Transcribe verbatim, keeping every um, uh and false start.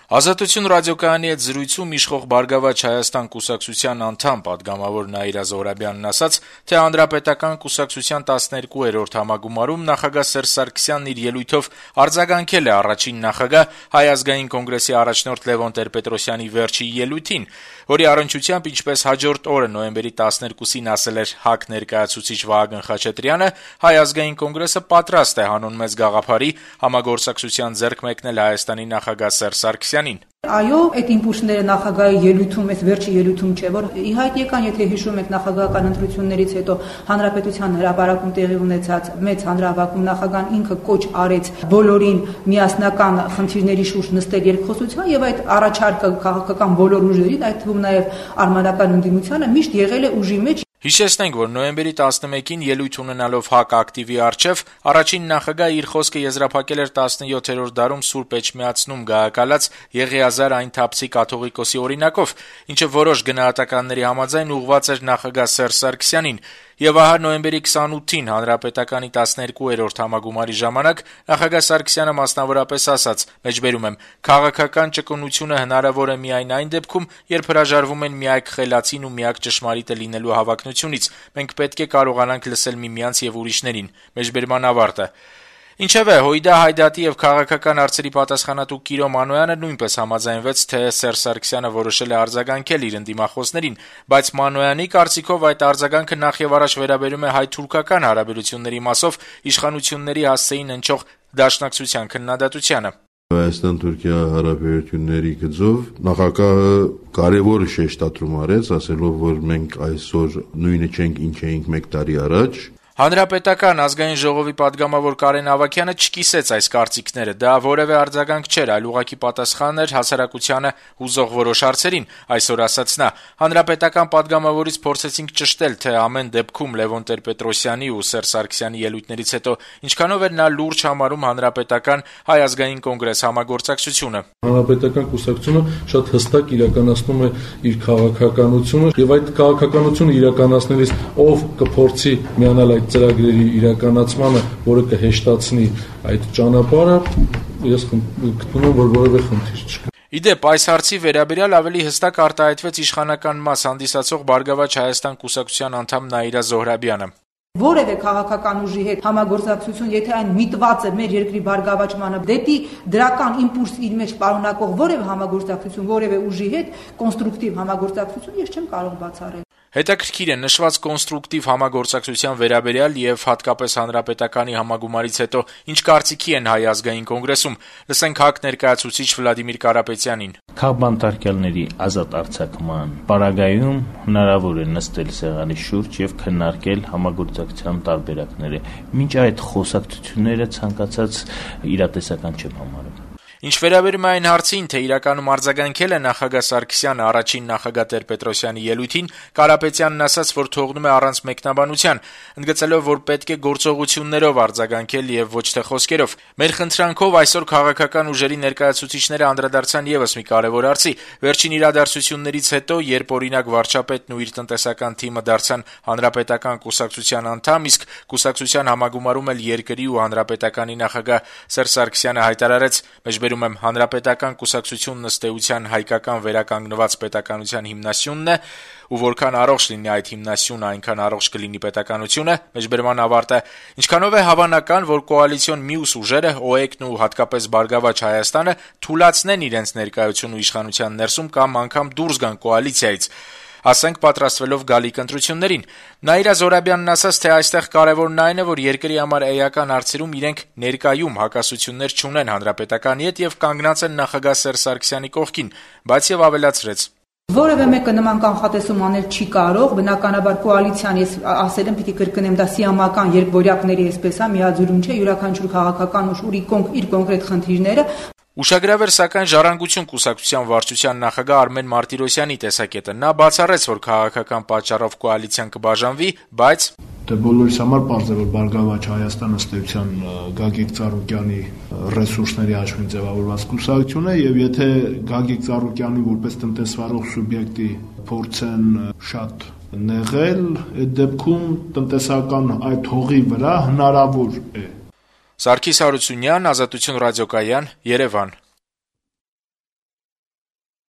Ազատություն ռադիոկայանի հետ զրույցում իշխող «Բարգավաճ Հայաստան» կուսակցության անդամ պատգամավոր Նաիրա Զոհրաբյանն ասաց, թե Հանրապետական կուսակցության տասներկուերորդ համագումարում նախագահ Սերժ Սարգսյանն իր ելույթով արձագանքել է առաջին նախագահ Հայ ազգային կոնգրեսի առաջնորդ Լևոն Տեր-Պետրոսյանի վերջի ելույթին, որի առնչությամբ, ինչպես հաջորդ օրը նոյեմբերի տասներկուսին ասել էր ՀԱԿ ներկայացուցիչ Վահագն Խաչատրյանը, Հայ ազգային կոնգրեսը պատրաստ է հանուն մեծ գաղափարի համագործակցության ձեռք մեկնել Հայաստանի նախագահ Սերժ Սարգսյանին։ Այո, այդ իմպուլսները նախագահի ելույթում, այս վերջի ելույթում չէ, որ ի հայտ եկան, եթե հիշում եք նախագահական ընտրություններից հետո հանրապետության հրապարակում տեղի ունեցած մեծ հանրահավաքում նախագահան ինքը կոչ արեց բոլորին միասնական խնդիրների շուրջ նստել երկխոսության եւ այդ առաջարկը քաղաքական բոլոր ուժերին, այդ թվում նաեւ արմատական ընդդիմությանը միշտ եղել է ուժի մեջ։ Հիշեցնենք, որ նոյեմբերի տասնմեկին ելույթ ունենալով ՀԱԿ ակտիվի առջև առաջին նախագահը իր խոսքը եզրափակել էր տասնյոթերորդ դարում Սուրբ Էջմիածնում գահակալած Եղիազար այն թափսի կաթողիկոսի օրինակով, ինչը որոշ գնահատականների համաձայն ուղղված էր նախագահ Սերժ Սարգսյանին, եւ ահա նոյեմբերի քսանութին Հանրապետականի տասներկուերորդ համագումարի ժամանակ նախագահ Սարգսյանը մասնավորապես ասաց. «Մեջբերում եմ, քաղաքական ճկունությունը հնարավոր է միայն այն դեպքում, երբ հրաժարվում են միակ խելացին ու միակ ճշմարիտը լինելու հավակնությունից։ Մենք պետք է կարողանանք լսել միմյանց եւ ուրիշներին»։ Մեջբերման ավարտը։ Ինչևէ, Հույդա Հայդատի եւ քաղաքական հարցերի պատասխանատու Կիրո Մանոյանը նույնպես համաձայնվեց, թե Սերժ Սարգսյանը որոշել է արձագանքել իր ընդդիմախոսներին, բայց Մանոյանի կարծիքով այդ արձագանքը նախևառաջ վերաբերում է հայ-թուրքական հարաբերությունների մասով իշխանությունների հասցեին հնչող դաշնակցության քննադատությանը։ Հայաստան-Թուրքիա հարաբերությունների գծով նախագահը կարևոր շեշտադրում արեց, ասելով, որ մենք այսօր նույնը չենք, ինչ էինք մեկ տարի առաջ։ Հանրապետական ազգային ժողովի պատգամավոր Կարեն Ավագյանը չկիսեց այս կարծիքները, դա որևէ արձագանք չէր, այլ ուղղակի պատասխան էր հասարակությանը հուզող որոշ հարցերին, այսօր ասաց նա։ Հանրապետական պատգամավորից փորձեցինք ճշտել, թե ամեն դեպքում Լևոն Տեր-Պետրոսյանի ու Սերժ Սարգսյանի ելույթներից հետո ինչքանով էր նա լուրջ համարում Հանրապետական Հայ ազգային կոնգրես համագործակցությունը։ Հանրապետական կուսակցությունը շատ հստակ իրականացնում է իր քաղաքականությունը եւ այդ քաղաքականությունը իրականացնելիս ով կփորձի միանալ այդ ծրագրերի իրականացմանը, որը կհեշտացնի այդ ճանապարհը, ես գտնում եմ, որ որևէ խնդիր չկա։ Իդեպ, այս հարցի վերաբերյալ ավելի հստակ արտահայտվեց իշխանական մաս հանդիսացող «Բարգավաճ Հայաստան» կուսակցության անդամ Նաիրա Զոհրաբյանը։ Որևէ քաղաքական ուժի հետ համագործակցություն, եթե այն միտված է մեր երկրի բարգավաճմանը, դեպի դրական իմպուլս իր մեջ պարունակող որևէ համագործակցություն, որևէ ուժի հետ կոնստրուկտիվ համագործակցություն ես չեմ կարող բացառել։ Հետաքրքիր է նշված կոնստրուկտիվ համագործակցության վերաբերյալ եւ հատկապես Հանրապետականի համագումարից հետո ինչ կարծիքի են Հայ ազգային կոնգրեսում։ Լսենք ՀԱԿ ներկայացուցիչ Վլադիմիր Կարապետյանին։ Քաղբանտարկյալների ազատ արձակման պարագայում հնարավոր է նստել սեղանի շուրջ եւ քննարկել համագործակցության տարբերակները։ Մինչ այդ խոսակցությունները ցանկացած իրատեսական չեմ համարում։ Ինչ վերաբերում է այն հարցին, թե իրականում արձագանքել է նախագահ Սարգսյանը առաջին նախագահ Տեր-Պետրոսյանի ելույթին, Կարապետյանն ասաց, որ թողնում է առանց մեկնաբանության, ընդգծելով, որ պետք է գործողություններով արձագանքել եւ ոչ թե խոսքերով։ Մեր խնդրանքով այսօր քաղաքական ուժերի ներկայացուցիչները անդրադարձան եւս մի կարեւոր հարցի։ Վերջին իրադարձություններից հետո, երբ օրինակ վարչապետն ու իր տնտեսական թիմը դարձան Հանրապետական կուսակցության անդամ, իսկ կուսակցության համագումարում էլ երկրի ու Հանրապետականի նախագահ Սերժ Սարգսյանը հայտարարեց. «Մեջբերում եմ, Հանրապետական կուսակցությունն ըստ էության հայկական վերականգնված պետականության հիմնասյունն է, ու որքան առողջ լինի այդ հիմնասյունը, այնքան առողջ կլինի պետականությունը»։ Մեջբերման ավարտը։ Ինչքանով է հավանական, որ կոալիցիոն մյուս ուժերը, ՕԵԿ-ն ու հատկապես Բարգավաճ Հայաստանը թուլացնեն իրենց ներկայությունը իշխանության ներսում կամ անգամ դուրս գան կոալիցիայից, ասենք պատրաստվելով գալիք ընտրություններին։ Նաիրա Զոհրաբյանն ասաց, թե այստեղ կարևորն այն է, որ երկրի համար էական հարցերում իրենք ներկայում հակասություններ չունեն Հանրապետականի հետ եւ կանգնած են նախագահ Սերժ Սարգսյանի կողքին, բայց եւ ավելացրեց. Որևէ մեկը նման կանխատեսում անել չի կարող, բնականաբար կոալիցիան, ես ասել եմ, պիտի կրկնեմ, դա սիամական երկբորյակների այսպես է, միաձուլում չէ, յուրաքանչյուր քաղաքական ուժ ունի իր կոնկրետ խնդիրները։ Ուշագրավ էր սակայն Ժառանգություն կուսակցության վարչության նախագահ Արմեն Մարտիրոսյանի տեսակետը։ Նա բացառեց, որ քաղաքական պատճառով կոալիցիան կբաժանվի, բայց Դե բոլորիս համար պարզ է, որ Բարգավաճ Հայաստանը ըստ էության Գագիկ Ծառուկյանի ռեսուրսների հաշվին ձևավորված կուսակցություն է, եւ եթե Գագիկ Ծառուկյանի որպես տնտեսվարող սուբյեկտի փորձեն շատ նեղել, այդ դեպքում տնտեսական այդ հողի վրա հնարավոր է։ Սարգիս Հարությունյան, Ազատություն ռադիոկայան, Երևան։